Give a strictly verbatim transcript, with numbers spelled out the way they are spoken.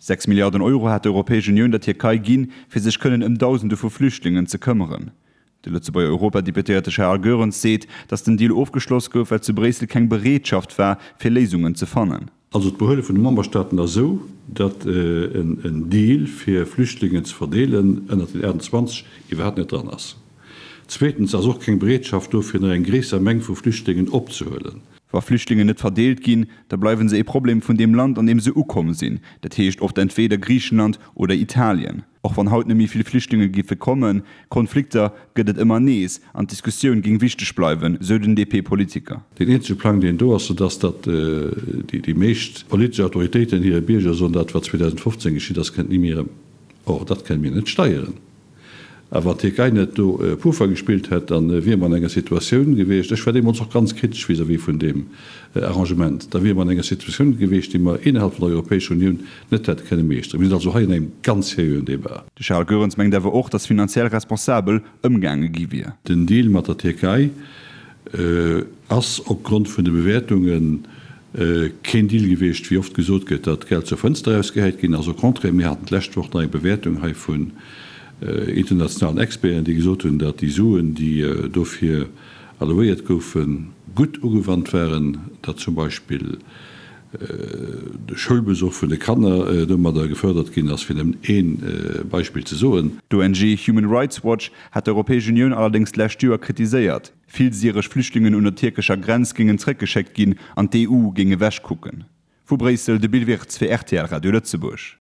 Sechs Milliarden Euro hat d'Europäesch Unioun der Tierkei ginn, fir sech kënnen ëm Dausende vu Flüchtlingen ze këmmeren. De Lëtzebuerger Europadeputéierte Charles Goerens seet, datt den Deal ofgeschloss gouf, well zu Bréissel keng Bereetschaft war, fir Léisungen ze fannen. Also d'Behuele vun de Memberstaaten ass esou, datt en Deal fir Flüchtlingen ze verdeelen ënnert den achtundzwanzeg iwwerhaapt net dran ass. Zweetens ass och keng Bereetschaft do fir nach eng gréisser Meng vu Flüchtlingen opzehuelen. Wa Flüchtlingen net verdeelt ginn, da bleiwe se e Problem vun deem Land, an deem se ukomm sinn, dat heescht oft entweeder Griichenland oder Italien. Och wann haut net méi vill Flüchtlinge géife kommen, Konflikter gëtt et ëmmer nees an d'Diskussioun géing wichteg bleiwen, sou den D P-Politiker. Deen eenzege Plang, deen do ass, dat ass, datt déi meescht politesch Autoritéiten hire Bierger soen, dat wat zweedausendfofzéng geschitt ass, kënnt ni méi erëm. Or, dat kënne mir net steieren. A wann d'Tierkei net do Puffer gespillt hätt, da wiere mer an enger Situatioun gewiescht, ech war deemools och ganz kritesch vis-à-vis vun deem Arrangement, da wiere mer an enger Situatioun gewiescht, déi mer innerhalb vun der Europäescher Unioun net hätte kënne meeschteren. Mir sinn also hei an engem ganz seriöen Débat. De Charles Goerens mengt awer och, datt finanziell responsabel ëmgaange gi wier. Den Deal mat der Tierkei ass opgrond vun de Bewäertunge keen Deal gewiescht, wéi oft gesot gëtt, datt d'Geld zur Fënster erausgehäit ginn ass. Au contraire, mir haten d'lescht Woch nach eng Bewäertung hei vun internationalen Experten, déi gesot hunn, datt déi Suen, déi dofir allouéiert goufen, gutt ugewannt waren, datt zum Beispill de Schoulbesuch vun de Kanner domadder gefërdert ginn ass, fir nëmmen ee Beispill ze soen. D'O N G Human Rights Watch hat d'Europäesch Unioun allerdéngs d'lescht Joer kritiséiert. Vill syresch Flüchtlingen un der tierkescher Grenz géingen zréckgeschéckt ginn an d'E U géing ewechkucken. Vu Bréissel de Bill Wirtz fir R T L Radio Lëtzebuerg.